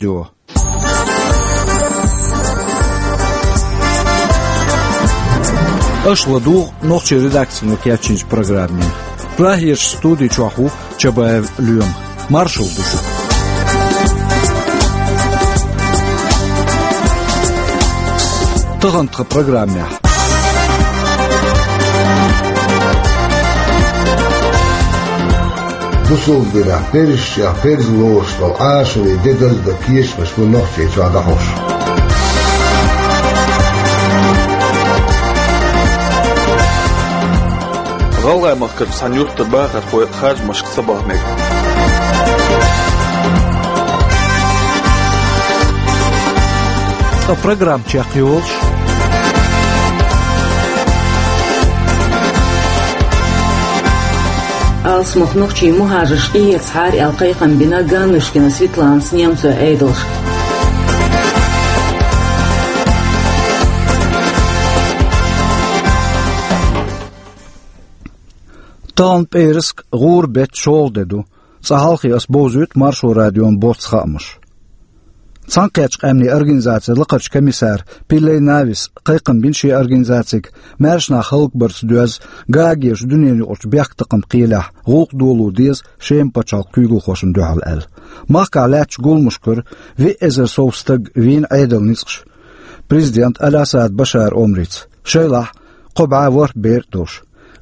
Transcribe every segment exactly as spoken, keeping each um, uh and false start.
Радио. Аша ладугӀу нохчийн редакцино кечйинчу программе. Прагерчу студи чохь ву Чабаев Лоьма. Маршалла ду шуьга. Тахана тхан программехь. Бусалба динехь, перзашкахь, перза лоруш долу Ӏашурин де даздан кечамаш бу Нохчийчохь дӀахьош. ГӀалгӀай махкара цхьана юьртара бахархой харжамашка ца баха мега. Ткъа программа чекхйолуш. Алсамох нохчийн мухӀажарш къехьа цхьара аьлла кхайкхам бина Ганнушкина Светланас немцойн Ӏедалшка. Тахана пӀераска гӀуран беттан шолгӀа де ду. Цкъа хьалхе ас бовзуьйту Маршо радион боццу хаамаш. Цхьаьнакхеттачу къаьмнийн организацин лакхарчу комиссара Пилей Навис кхайкхам бина шен организацига, маьрша нах хӀаллакбарца доьзна Гаагерчу дуьненаюкъарчу бехктакхаман кхелехь гӀуллакх доло деза Шеман пачхьалкхан куьйгалхошна дуьхьал аьлла. Махкахь лаьттачу гуламашкара виъ эзар сов стаг вийна Ӏедалан ницкъаша президент Аль-Асад Башар Омрица, шайлахь кхо бӀе ворхӀ бер а долуш.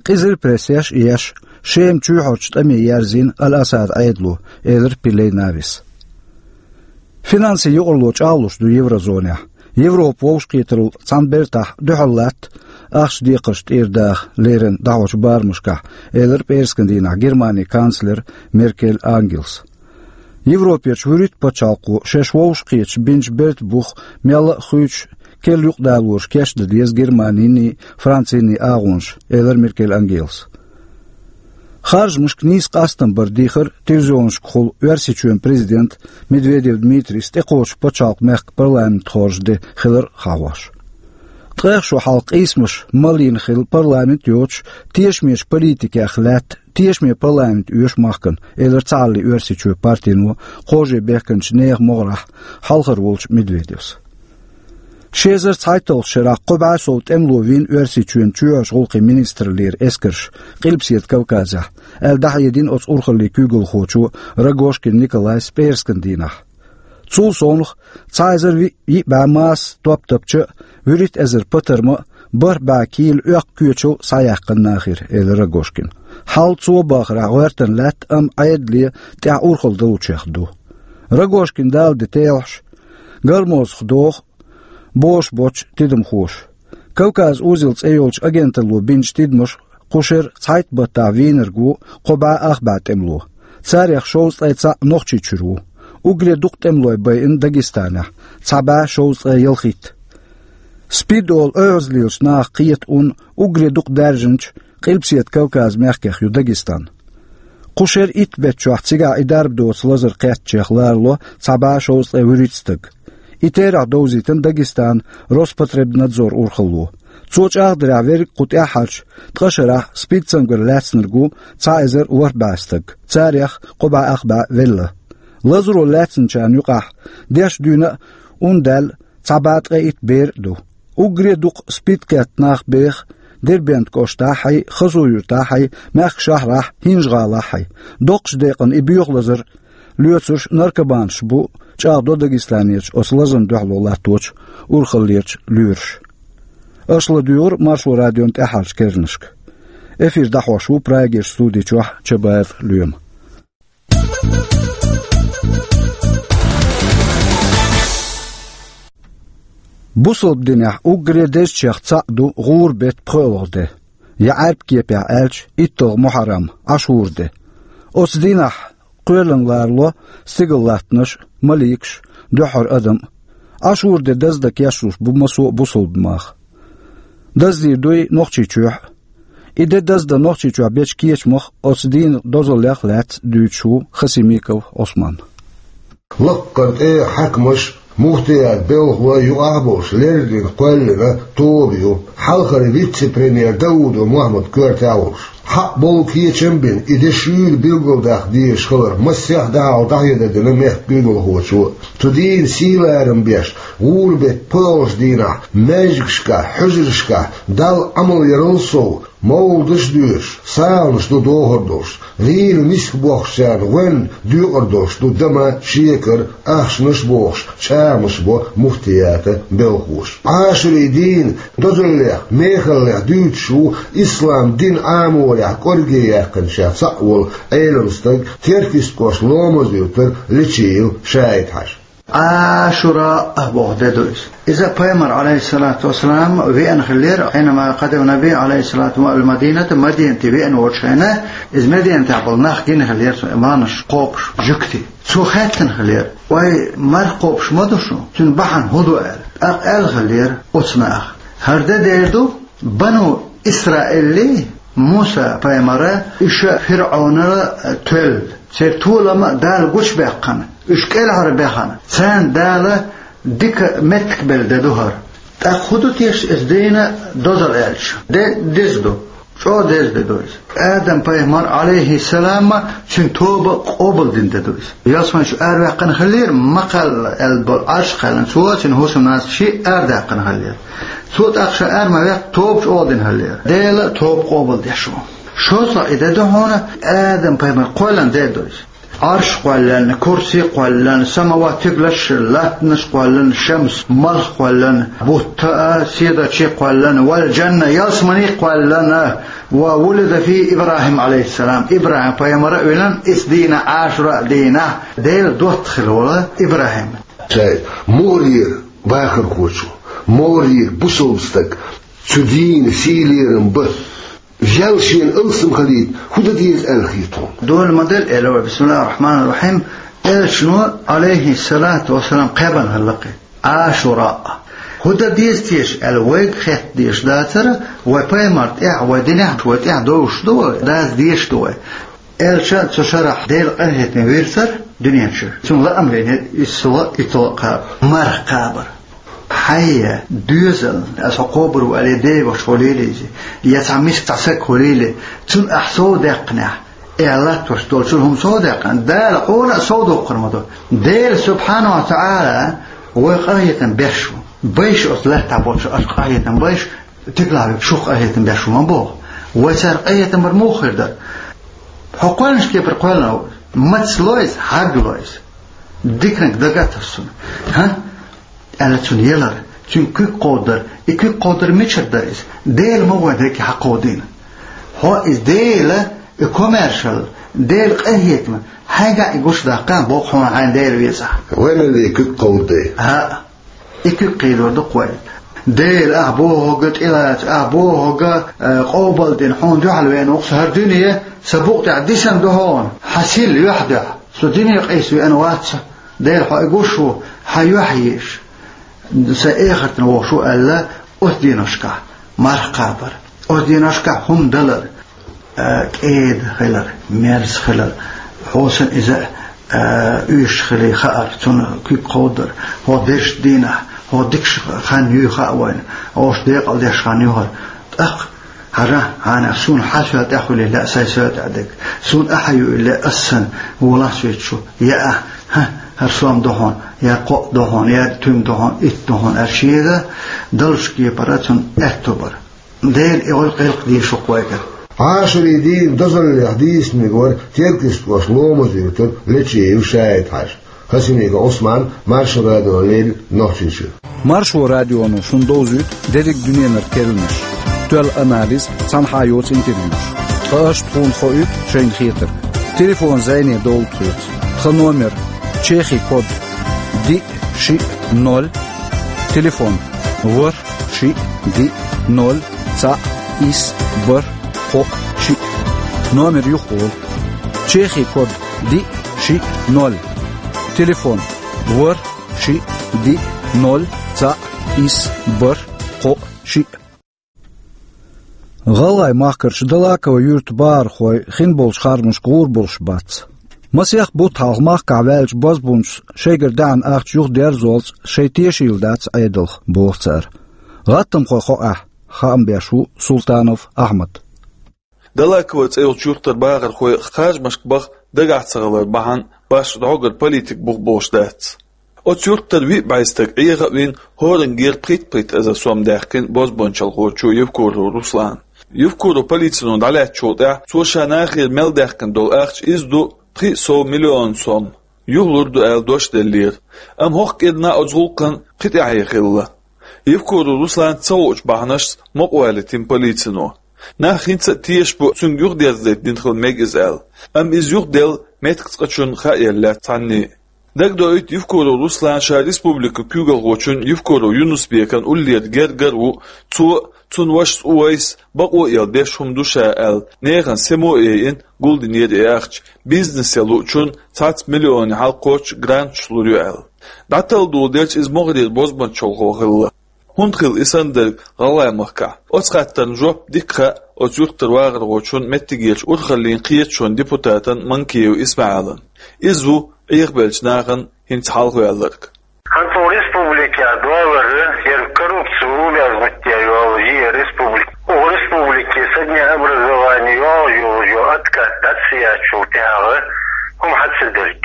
Къиза прессехь а еш, Шеман чоьхьарчу тӀаме ерзийна Аль-Асадан Ӏедало, элира Пилей Навис. Финансийн юкъаралло чӀагӀлуш ду еврозонехь. Европа вовшахкхетарал цхьана бертахь дуьхьал латта ахча декхарш тӀера даха леррина дӀахьочу барамашкахь, элира пӀераскан дийнахь Германин канцлера Меркель Ангелас. Европерчу вуьрхӀитта пачхьалкхо шаьш вовшахкхеташ бинчу бертан бух мелла а хуьйцуш, керла юкъадалораш кечдан деза Германинний, Францинний агӀонаш, элира Меркель Ангелас. Харжамашка нийса къастам бар дийхира телевизионашкахула Оьрсийчоьнан президент Медведев Дмитрийс тӀекхочучу пачхьалкхан мехкан парламентан хоржу де хилар а хьахош. Ткъех шо хьалха къийсамаш малйина хилла парламент а йоцуш, тешамечу политикех лаьтта тешаме парламент оьшу махкана, элира Цхьааллин Оьрсийчоь партино кхо шарахь бехканчу нехан могӀарехь хьалхара волчу Медведевс. Ши эзар цхьайтталгӀачу шарахь кхо бӀе сов тӀемало вийна Оьрсийчоьнан чоьхьарчу гӀуллакхийн министраллера эскарш Къилбаседа Кавказехь, аьлла дӀахьедина оцу урхаллийн куьйгалхочо Рогожкин Николайс пӀераскан дийнахь. Цул совнаха, цхьа эзар виъ, йиъ бӀе масса топ тапча а, вуьрхӀитта эзар патарма а, бархӀ бӀе кийла оьккху коьчал а схьаяьккхина нахера, элира Рогожкина. Хьал цо бахарехь гӀоьртина лаьтта, амма Ӏедале тӀехь урхалла далучех ду. Рогожкина дала де телхьаш, Гормозах доху бохуш боцчу тидамхоша. Кавказ узел цӀе йолчу агенталло бинчу тидамаша кху шеран цхьайтта баттахь вийнарг ву кхо бӀе ах бӀе тӀемало. Царех шовзткъе цхьаъ Нохчийчуьра ву. Уггаре дукха тӀемалой байина Дагестанехь, цхьа бӀе шовзткъе ялхитта. СПИД олу оьгӀазлелачу наха кхета ун уггаре дукха даьржинчу Къилбаседа Кавказан мехкех ю Дагестан. Кху шеран итт беттачохь цигахь и дарба доцу лазар кхеттачех ларало цхьа бӀе шовзткъе вуьрхӀитта стаг. И терахь довзийтина Дагестанан Роспотребнадзор урхалло. Цо чӀагӀдарехь, верриг а кху тӀаьххьарчу ткъа шарахь СПИД цамгар лаьцнарг ву цхьа эзар ворхӀ бӀе стаг, царех кхо бӀе ах бӀе велла. Лазаро лаьцначарна юкъахь деш дуьйна а, ун даьлла, цхьа бӀе ткъе итт бер а ду. Уггаре дукха СПИД кхетта нах беха Дербент кӀоштахьий, Хасавюртахьий, мехкан шахьарахь, ХӀинжа-ГӀалахьий. Доккхачу декъана и боьха лазар лоьцурш наркоманаш бу, чӀагӀдо Дагестанерчу оцу лазарна дуьхьало латточу урхаллерчу лоьраша. Аша ладуьйгӀура Маршо радион тӀаьххьарчу керланашка. Эфир дӀахьош ву Прагерчу студи чохь Чабаев Лоьма. Бусалба динехь уггаре дезачех цхьаъ ду гӀуран беттан пхоьалгӀа де, я Ӏаьрбийн кепехь аьлча, итталгӀа Мухьаррам, Ӏашура де. Оцу дийнахь кхоьллина ларало стигаллаттанаш а, маликаш а, дуьххьара адам а. Ӏашура де даздан кечлуш бу массо а бусалба нах. Даздийр ду и Нохчийчохь а. И де даздан Нохчийчохь бечу кечамах, оцу дийнан дозаллех а лаьцна дуьйцуш ву Хасимиков Ӏусман. Лаккхара тӀе хьаькамаш, муфтият белхалой юкъахь а болуш, леррина кхоьллина тоба ю, хьалхара вице-премьер Даудов Мухьаммад коьртехь а волуш. Хьаъ болу кечам а бина, и де шуьйра билгалдаккха дезаш хилар массех а дахьал дӀахьедар дина мехкан куьйгалхочо. Цу дийнан сий-ларам беш, гӀуран-беттан пхоьалгӀачу дийнахь маьждигашкахь, хьуьжаршкахь Далла Ӏамал ярал сов, мовладаш а доьшуш, саламаш ду дохур долуш, гӀийла миска бохкучарна гӀоьнна доькъур долуш ду дама, шекар, ахчанаш а бохуш, чӀагӀамаш бо муфтиятан белхахоша. Ӏашурин дийнан дозаллех, мехаллех дуьйцуш ву ислам динан Ӏаморехь кӀорге яьккхинчех цхьаъ волу Ӏеламстаг, Теркйистан кӀоштан Ломаз-Юьртара Лечиев Шаид-Хьаьжа. Ӏашура а боху де ду иза. Иза пайхамар, Ӏалайхиссалату вассалам, веана хиллера, хьинама къадама Наби, Ӏалайхиссалату, ал-Мадината, Мадинате веана волчу хенахь, иза Мадинатехь болу нах гина хиллера, цу маьршаш кхобуш, жуьгтий. Цо хаьттина хиллера: «Вай, марха кхобуш ма ду шу, цуьнан бахьана хӀун ду?» — аьлла. ТӀаккха аьлла хиллера оцу наха: «ХӀара де дер ду, Бану Исраилий Муса-пайхамара, уьш ФирӀаунал тоьлла, церан толам а Дала гучубаьккхина, уьш кӀелхьарбаьхна, царна Дала дика меттиг белла де ду хӀара. ТӀаккха хӀун ду теша иза дийнан дозалла аьлча? Де деза ду, чӀогӀа деза де ду иза. Адам-пайхамар, Ӏалайхиссалам, цуьнан тоба къобалдина де ду иза. Ялсамани чу араваьккхина хиллера, ма кхалла аьлла болу Ӏарш а кхаьллина, цо, цуьнан хӀусамнас шиъ арадаьккхина хиллера. Цо тӀаккха ша ара ма ваьккхина, тоба чӀогӀа дина хиллера. Дела тоба къобалдеш ву. ШозлагӀа и де ду хьуна, Адам-пайхамар кхоьллина де ду иза. Ӏарш кхоьллина, курси кхоьллина, самават, стигалш, латтанаш кхоьллина, шамс, малх кхоьллина, бутт а, седарчий кхоьллина, вал джанна, ялсамани кхоьллина, ва вулида фи ИбрахӀим, Ӏалайхиссалам, ИбрахӀим-пайхамар а веллина, иза дийнахь, Ӏашура дийнахь, Делан доттагӀа хилла волу ИбрахӀим. Шайн мугӀарера вахархочо, мугӀарера бусалба стаг цу дийнан сий-лерам бан, ял шена алсам хилийта, хӀун дан деза аьлла хета хьуна? Дола ма-делла, элира вай, бисмиллахӀир-рахьманир-рахьим, элчано, Ӏалайхиссалату вассалам, кхаьбна хилла-кх и Ӏашура. ХӀун дан деза теша аьлла, вайга хетта дезаш дацара, вай пайхамар тӀехь, вай динехь, вай тӀехь довш ду вай, даза дезаш ду вай. Элча цу шарахь Делан къинхетаме вирзара дуьнен чуьра. Цунна лаам лийнера исс ло, итт ло кхаба, марха кхабар. Хьайн доьзална, аса хьо кхобур ву аьлла, деваш хьо лелийзе, я цхьа миска цхьа саг хьо леле, цунна ахь сов даьккхинехь, эхь латтош долчул хӀума сов даьккхина, Дала хьуна а сов доккхур ма ду. Дела, субхьанаху ва таӀала, вай къахетам беш ву. Байша оцу лаьттахь болчу аша къахетам байша, тигалахь верг шух къахетам беш ву ма боху. Вай цара къахетам бар муха хир дара? Хьо кхоьллинчу кепара кхоьллина ву. Маца ло иза, хьарга ло иза. Диканиг дага а тасуна. ХӀа? Аьлла цунна ялар, цуьнан куьг кховдадар. И куьг кховдадар мичара дара иза? Дела ма вайн дерриге хьакховдийна. Хьо иза Дела, и комаьршалла, Делан къахетам, хьайгахь и гучудаккха боху хьуна хьайна Дела везахь. Вай мел вен куьг кховдаде. ХӀаъ. И куьг кхийдор ду-кх вай. Дела, ахь бохург тӀелаца, ахь бохург, э, къобалдина, хьуна дуьхьал веана ву-кх со хӀара дуьне, сан букъа тӀехь дисина ду хьуна, хьан сийл юьхь дуьхьа. Со дуьне къийса веана вац со. Дела, хьо и гуш ву, хьан юьхь еза. Сан эхартана вохуш ву аьлла, оцу деношкахь марха кхабар. Оцу деношкахь хӀума далар. Э, кӀеда хилар, мерза хилар, хьо санна иза, э, уьйш хилий хаар, цунна куьг кховдар, хьо дерш дийнахь, хьо дикаш хан юй хаа вайна, хьош декъал деш хан ю хӀара. ТӀаккха хьажа, хьанах суна хьан соьл тӀехь хуьлий лаьа сайн соьл тӀехь дерг, суна ахьа юй лаьа ас санна, волахь соьца шу, я ахь, хӀа, хӀара сом ду хьуна, я кхоъ ду хьуна, я туьма ду хьуна, итт ду хьуна, аьлла шега, даллачу кепара цунна аьтто бар. Дела и гӀуллакх гӀиллакх дийшур ву вайгара. Ӏашурий дийнан дозаллех дийцинарг вара Теркйистан кӀоштан Ломаз-Юьртара Лечиев Шаид-Хьаьжа. Хасимиков Ӏусман, Маршо радиона леррина Нохчийчуьра. Маршо радионо шуна довзуьйту дерриг дуьненара керланаш. Тоьлла анализ, цхьанхьа йоцу интервьюш. Ткъа аша тхуна хоуьйту шайна хетарг. Телефон зӀене довла тхоьца. Тхан номер: чехи код диъ шиъ ноль. Телефон: ворхӀ шиъ диъ ноль цхьаъ исс бархӀ кхоъ шиъ. Номер юхаволу. Чехи код диъ шиъ ноль. Телефон: ворхӀ шиъ диъ ноль цхьаъ исс бархӀ кхоъ шиъ. ГӀалгӀай махкарчу Далакова юьртан бахархой хин болчу хармашка гӀур болуш бац. Масех бутт хьалха махкахь ваьллачу бозбунчаша шайгара даьхьна ахча юхадерзолца шайн тешийла дац Ӏедалх, боху цара. ГӀаттамхойн хьокъехь хаам беш ву Султанов Ахьмад. Далаково цӀе йолчу юьртара бахархой харжамашка баха дагахь ца хилар бахьана башха дӀогара политика бух болуш дац. Оцу юьртара виъ бӀе стаг Ӏеха а вина, хӀоранна гера пхийтта-пхийтта эзар сом даьккхина бозбуунчалхочо Евкуров Руслана. Евкуров полицино дӀалаьцначул тӀаьхьа цо ша нахера мел даьккхина долу ахча иза ду пхи а сов миллион сом. Юхалур ду аьлла дош деллера. Амма хӀокху кӀирнахь оцу гӀуллакхан кхин тӀаьхье хилла. Евкуров Руслан ца хуучу бахьанашца мукъавалийтина полицино. Нах хӀинца а тешаш бу, цуьнга юхадерзадайта дина хила мега иза аьлла. Амма иза юхаделла меттиг цкъачунна хаа елла лаьцна цхьанне а. Дагадоуьйту, Евкуров Руслан ша республикан куьйгалхочун Евкуров Юнус-Бекан уллера гергара а ву, цо а, цуьнан вашас Увайс а бакъо а елла деш хӀума ду ша аьлла, нехан сема а яйина, гулдинера и ахча, бизнесе луучунна цхьацца миллионе хьалакхоччуш гранташ лур ю аьлла. ДӀаталла доладелча, иза могӀарера бозбуунчалхо хилла. ХӀунда хилла и санна дерг ГӀалгӀай махкахь? Оцу хаттарна жоп дика хаьа оцу юьртара вахархочун меттигерчу урхаллин кхеташонан депутатан Манкиев ИсмаьӀалан. Иза ву Ӏехабеллачу нахана хӀинца хьалхаваьлларг. ХӀинца республикехь долара яра коррупци увязнуть йолу и республика. Оха республике со дня образования йолу йолу откат дац яьчул тӀаьхьа хӀума хьан ца дерг.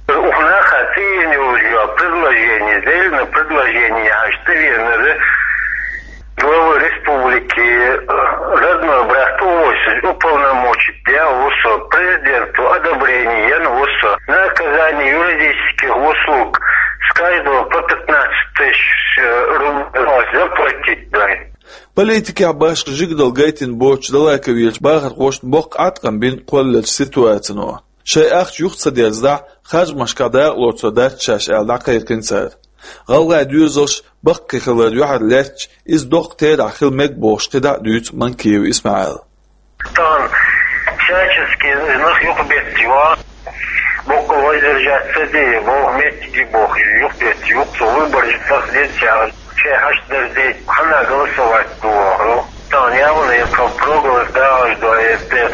Оха наха цӀийна йолу йо предложение, зелена предложение хьажа тӀевеанара главы республики, э, родной брат Увайс уполномочить деш ву со, президентан одобрение йина ву со, на оказание юридических услуг с каждого по пятнадцать тысяч, э, рублей заплатить дай. Политикехь башха жигаралла гайтина боцучу Далаковерчу бахархошна боккха Ӏаткъам бина кхоллаеллачу ситуацино. Шайн ахча юха ца дерзадахь, харжамашкахь дакъалоцур дац шаьш аьлла дӀакхайкхина цара. ГӀалгӀайн доьзалш баккхий хилар юьхьарлаьцча, иза доккха терахь хила мега бохуш кхидӀа а дуьйцу Манкиев ИсмаьӀала. Тахана всячески нах юхабетташ ван, боккъал воздержаться де, боху меттиге боху, юхабетташ, юха цо выбораш сахьдеца, шайн хьашт дерзадейта, хьанна голосовать ду вахара. Тахана явно я про проголос дагӀаш ду, я те,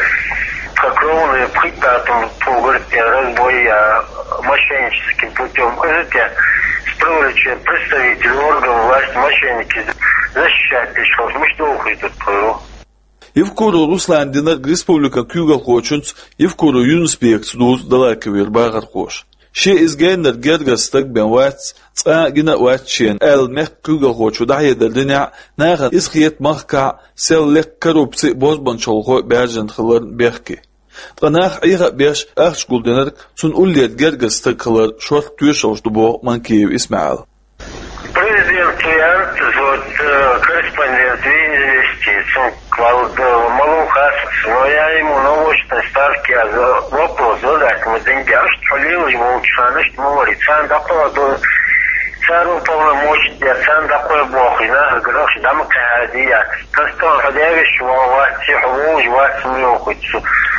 тхан кровные пхийтта тӀом тхо гӀертехь разбой я, мошенническим путём. Иза те, с привлечением представителей органов власти мошенники защищать деш хилча, муьлш дохуьйтур тхо. Евкуров Руслана динарг республикан куьйгалхочуьнца Евкуров Юнус-Бекаца дузу Далаковера бахархоша. Шен иза геннара гергара стаг бен вац, цкъа а гина а вац шена, аьлла, мехкан куьйгалхочо дӀахьедар динехь, нахана иза хета махкахь сел лекха коррупци а, бозбуунчалхо а баьржина хиларна бехке. Ткъа нах Ӏеха а беш, ахча гулдинарг цунна уллера гергара стаг хилар шорта тоьшаллаш ду боху Манкиев ИсмаьӀала. Президент Ян, вот, э, корреспондент Венеции, цунга вал, э, малон хастац, но я ему на очной ставке, а, за-, вопрос задать, мы деньги, а что лилось волчхана, что мы говорит, царна дакъо до, царна полномочия, царна дакъо боху, и нах грохш дама кхади, я. Тастон хадявиш, вал вац, сиху волж вац, миохуц.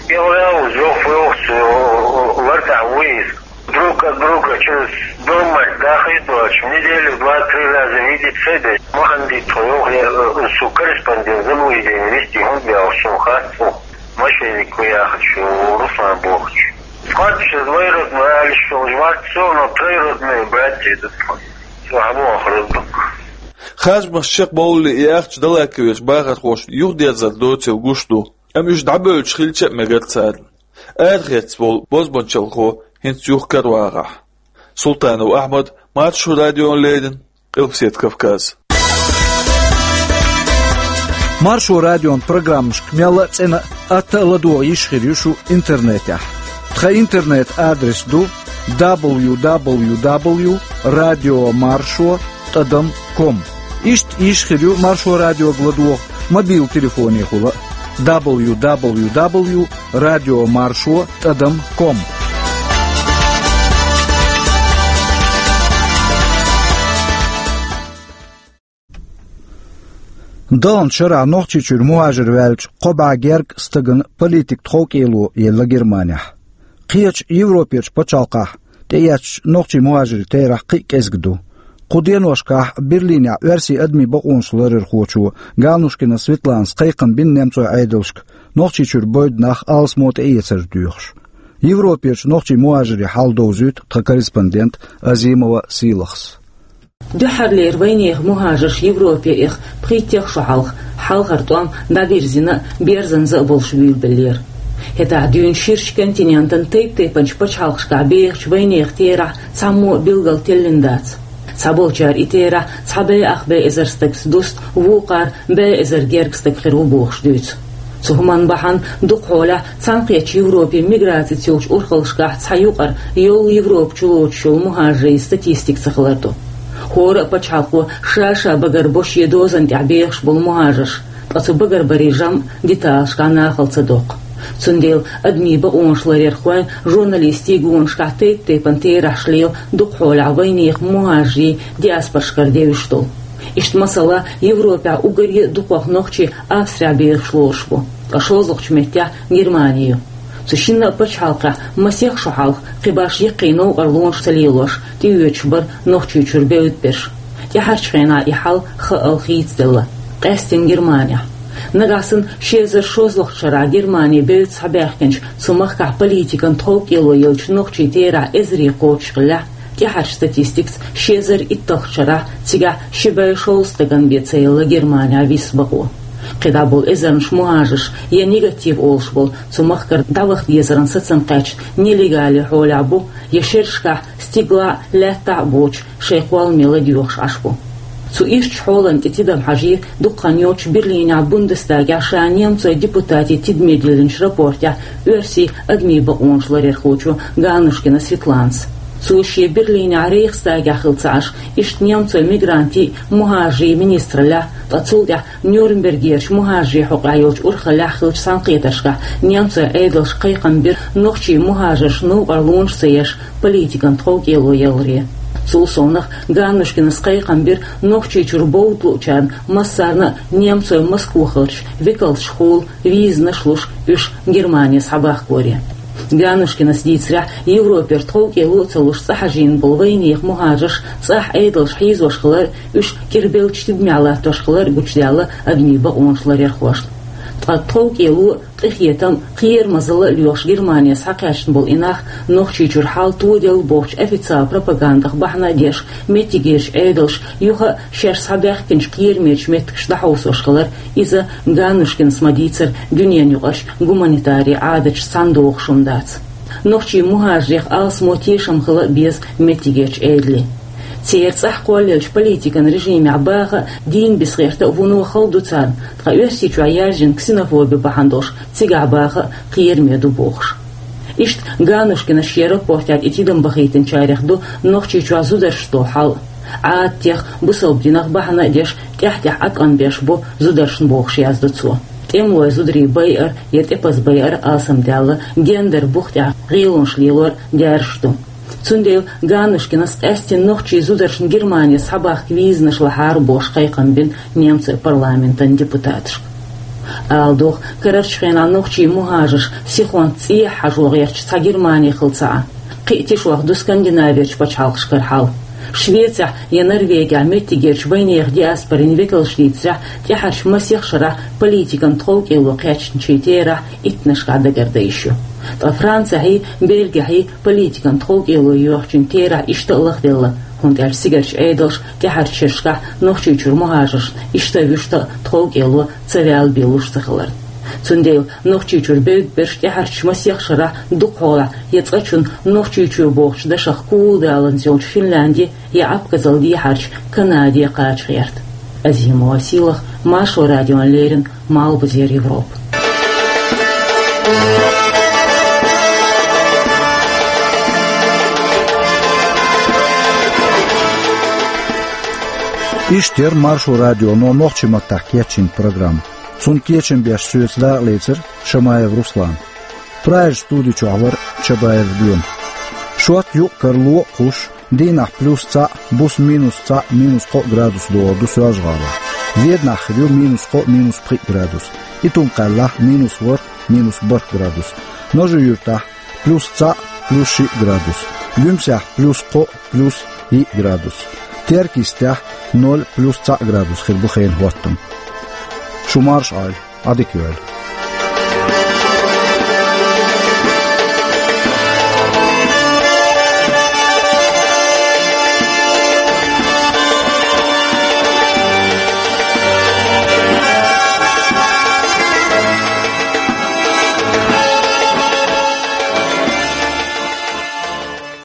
Я вал, зоф, вал, лартах вуис. Друг от друга через дома дахи дочь. В неделю два-три раза видеться, да. Маханди твоё, я, э, су корреспондент, за мой день вести, он бял, что хасу. Мошенник, я хочу, Руслан Бохч. Хватит, двоюродный, а лишь он жмат, всё, но троюродные братья, это твой. Всё, а мой охранник. Харжамаш чекхбовлале и ахча Далаковерчу бахархоша юхадерзар доцийла гуш ду, амма уьш дӀабевлча хилча а мегар царна. Арахецна волу бозбуунчалхо хӀинца юхакара вагӀахь. Султанов Ахьмад, Маршо радиона леррина, Къилбаседа Кавказ. Маршо радион программашка мелла а цӀена а, атта а ладогӀа йиш хир ю шу интернетехь. Тхан интернет-адрес ду дабл ю дабл ю дабл ю радио маршо тӀадам ком. Иштта йиш хир ю Маршо радиога ладогӀа мобил телефонехула а, дабл ю дабл ю дабл ю радио маршо тӀадам ком. Далан шарахь Нохчийчуьра мухӀажир ваьлча, кхо бӀе гергга стагана политик тховкӀело елла Германехь. Кхечу Европерчу пачхьалкхехь тӀеэцначу нохчийн мухӀажирийн терахь кхин а кӀезиг ду. Кху деношкахь Берлинехь оьрсийн адамийн бакъонаш ларъярхочо Ганушкина Светланас кхайкхам бина немцойн Ӏедалшка Нохчийчуьра бойду нах алсамо тӀеэцар доьхуш. Европерчу нохчийн мухӀажирийн хьал довзуьйту тхан корреспондента Азимова Сийлахьас. Дуьххьарлера вайнехан мухӀажарш Европе эха пхийтта шо хьалха, хьалхара тӀом дӀадирзина а, берзанза а болуш буьйлабеллера. ХӀетахь дуьйна ширачу континентан тайп-тайпанчу пачхьалкхашкахь бехачу вайнехан терахь цхьаммо а билггал теллина дац. Цхьаболчара и терахь цхьа бӀе ах бӀе эзар стагца дуста, вукхара бӀе эзар гергга стаг хир ву бохуш дуьйцу. Цу хӀуманна бахьана дукхахьолахь Цхьаьнакхеттачу Европе миграцица йолчу урхаллашкахь цхьа юкъара йолу Европа чу лоцуш йолу мухӀажарийн статистика ца хилар ду. ХӀора а пачхьалкхо ша-ша багарбо шен дозанна тӀехь бехаш болу мухӀажарш, ткъа цу багарбарийн жамӀ деталашкахь нахала ца доккху. Цундела адамийн бакъонаш ларъярхойн, журналистийн гонашкахь тайп-тайпана терахьаш лела дукхахьолахь вайнехан мухӀажарийн диаспорашкара девзаш долу. Иштта, масала, Европехь уггаре а дукхах нохчий Австрехь бехаш лоруш бу, ткъа шолгӀачу меттехь Германи ю. Цу шинна а пачхьалкхехь масех шо хьалха, кхин башха яккхий новкъарлонаш ца лелош, тӀеоьцуш бара Нохчийчуьра бевдда берш. ТӀаьхьарчу хенахь и хьал хаъал хийцаделла, къаьсттина Германехь. Нагахь санна ши эзар шолгӀачу шарахь Германи бевдда схьабаьхкинчу цу махкахь политикан тховкӀело еллачу нохчийн терахь эзарий кхочушхиллехь, тӀаьхьарчу статистикаца ши эзар итталгӀачу шарахь цигахь ши бӀе шовзткъа стагана бен ца елла Германехь виса бакъо. КхидӀа болу эзарнаш мухӀажарш я негатив олуш болу, цу махкара дӀаваха дезаран сацам кхаьчна нелегале хьолехь бу, я шерашкахь стигалахь а, лаьттахь а боцуш, шайн кхолламе ладоьгӀуш Ӏаш бу. Цу ирчачу хьолана тӀе тидам хьажийра дукха хан йоццуш Берлинехь Бундестагехь ша немцойн депутатийн тидаме диллинчу рапортехь оьрсийн адамийн бакъонаш ларъярхочо Ганнушкина Светланас. Цо шен Берлинехь Рейхстагехь хилла ца Ӏаш, иштта немцойн мигрантийн а, мухӀажарийн а министраллехь, ткъа цул тӀаьхьа Нюрнбергерчу мухӀажарийн хьокъехь йолчу урхаллехь хиллачу цхьаьнакхетаршкахь немцойн Ӏедалша кхайкхам бира нохчийн мухӀажаршна новкъарлонаш ца еш, политикан тховкӀело яларе. Цул совнаха, Ганнушкинас кхайкхам бира Нохчийчуьра бовда луучарна массарна а немцойн Москвахарчу векалшкахула визанаш луш, уьш Германе схьабахкоре. Ганнушкинас дийцарехь, Европера тховкӀело а ца луш цӀа хьажийна болу вайнехан мухӀажарш цӀахь Ӏедалша хьийзош хилар а, уьш кӀирбеллачу тидамехь латтош хилар а гучудаьлла адамийн бакъонаш ларъярхошна. Ткъа тховкӀело а, къинхетам а, кхерамазалла а лоьхуш Германе схьакхаьчна болу и нах Нохчийчуьра хьал тоделла бохучу официалан пропагандах бахьана а деш, меттигерчу Ӏедалша юха а шаьш схьабаьхкинчу кхерамечу меттигашка дӀахьовсош хилар, иза, Ганнушкинас ма-дийццара, дуьненаюкъарчу гуманитарийн Ӏадаташца цхьаьна догӀуш хӀума дац. Нохчийн мухӀажарех алсамо тешам хила а беза меттигерчу Ӏедале. Церан цӀахь кхоллаеллачу политикан режимехь баха а, дийна бицкъа гӀерта а вуно хала ду царна, ткъа Оьрсийчохь яьржина ксенофоби бахьана долуш цигахь баха а кхераме ду бохуш. Иштта Ганнушкинас шен рапортехь тӀе тидам бахийтинчарех ду Нохчийчохь зударшца долу хьал. Ӏадатех, бусалба динах бахьана а деш, тӀаьхь-тӀаьхьа Ӏаткъам беш бу зударшна бохуш яздо цо. ТӀемалойн зударий байар я тӀепаза байар алсамдаьлла, гендер бух тӀехь гӀелонаш лелор даьржаш ду. Цундела Ганнушкинас къаьсттина нохчийн зударшна Германе схьабахка визанаш лахьара бохуш кхайкхам бина немцойн парламентан депутаташка. Ала догӀу, карарчу хенахь нохчийн мухӀажарш сихонца цӀехьа хьажо гӀерташ цхьа Германи хилла ца Ӏа. Кхин а тишох ду Скандинаверчу пачхьалкхашкара хьал. Швецехь я Норвегехь меттигерчу вайнехан диаспорин векалша дийцарехь, тӀаьхьарчу масех шарахь политикан тховкӀело кхаьчначийн терахь иттаннашкахь дагардан йиш ю. Ткъа Францехьий, Бельгехьий политикан тховкӀело йоьхначийн терахь иштта а лахделла, хӀунда аьлча цигарчу Ӏедалша тӀаьхьарчу шерашкахь Нохчийчуьра мухӀажаршна иштта а вуьшта а тховкӀело ца ваьлла бен луш ца хиларна. Цундела Нохчийчуьра бевдда берш тӀаьхьарчу масех шарахь дукхахьолахь я цкъачунна Нохчийчоь бохучу дашах куладаланза йолчу Финлянди я Абхазал дехьарчу Канаде кхача гӀерта. Азимова Сийлаха, Маршо радиона леррина, Малхбузера Европа. Иштта яра Маршо радионо нохчийн маттахь кечйина программа. Цунна кечам беш соьца дакъалецира Шамаев Руслан. Прагерчу студи чохь вара Чабаев Лоьма. Шорта юкъ-кара ло а кхуссуш, дийнахь плюс цхьаъ, буса минус цхьаъ, минус кхоъ градус догӀур ду Соьлжа-ГӀалахь. Веданахь хир ю минус кхоъ, минус пхиъ градус. Итум-Кхаьллахь минус ворхӀ, минус бархӀ градус. Ножи-Юьртахь плюс цхьаъ, плюс шиъ градус. Гуьмсехь плюс кхоъ, плюс йиъ градус. Теркйистехь ноль, плюс цхьаъ градус хир бу хенан хӀоттам. Шу марша Ӏойла, Ӏадика йойла.